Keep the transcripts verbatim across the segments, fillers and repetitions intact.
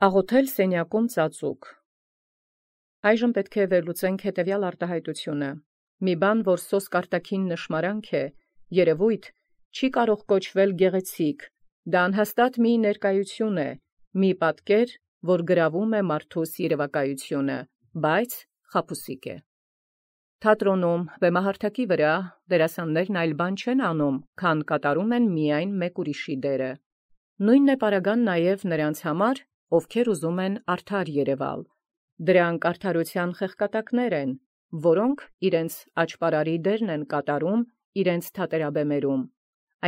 Աղոթել սենյակում ծածուկ։ Այժմ պետք է վերլուծենք հետևյալ արտահայտությունը. մի բան, որ սոսկ արտաքին նշմարանք է, երևույթ, չի կարող կոչվել գեղեցիկ, դա անհաստատ մի ներկայություն է, մի պատկեր, որ գրավում է մարդուս երևակայությունը, բայց խաբուսիկ է։ Թատրոնում, վեմահարթակի վրա դերասաններն այլ բան չեն անում, քան կատարում են միայն մեկ ուրիշի դերը։ Նույնն է պարագան նաև նրանց համար, ովքեր ուզում են արդար երևալ։ Դրանք արդարության խեղկատակներ են, որոնք իրենց աճպարարի դերն են կատարում իրենց թատերաբեմերում,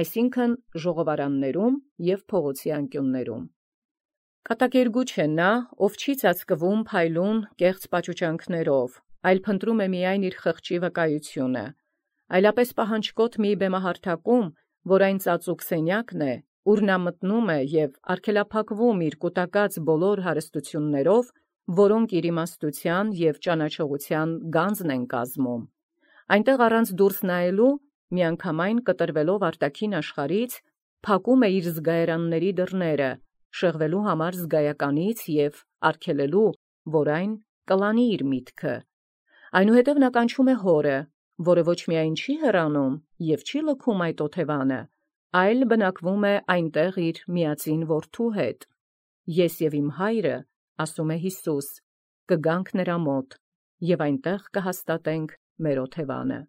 այսինքն ժողովարաններում և փողոցի անկյուններում։ Կատակերգուչ է նա, ով չի ծածկվում փայլուն կեղծ պաճուճանքներով, այլ փնտրում է միայն իր խղճի վկայությունը, այլապես պահանջկոտ մի բեմահարթակում, որ այն ծածուկ սենյակն է, ուր նա մտնում է և արգելափակվում իր կուտակած բոլոր հարստություններով, որոնք իր իմաստության և ճանաչողության գանձն են կազմում։ Այնտեղ առանց դուրս նայելու, միանգամայն կտրվելով արտաքին աշխարհից, փակում է իր զգայարանների դռները, շեղվելու համար զգայականից և արգելելու, որ այն կլանի իր միտքը։ Այնուհետև նա կանչում է հորը, որը ոչ միայն չի հեռանում և չի լքում այդ օթևանը, այլ բնակվում է այնտեղ իր միածին որդու հետ։ Ես և իմ հայրը, ասում է Յիսուս, կգանք նրա մոտ, և այնտեղ կհաստատենք մեր օթևանը։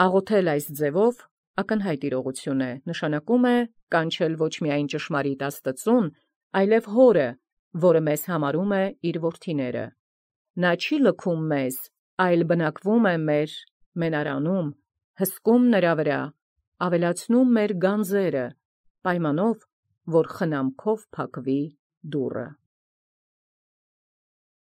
Աղոթել այս ձևով ակնհայտ իրողություն է, նշանակում է կանչել ոչ միայն ճշմարիտ Աստծուն, այլև հորը, որը մեզ համարում է իր որդիները։ Նա չի լքում մեզ, այլ բնակվում է մեր մենարանում, հսկում նրա վրա, ավելացնում մեր գանձերը, պայմանով, որ խնամքով փակվի դուռը։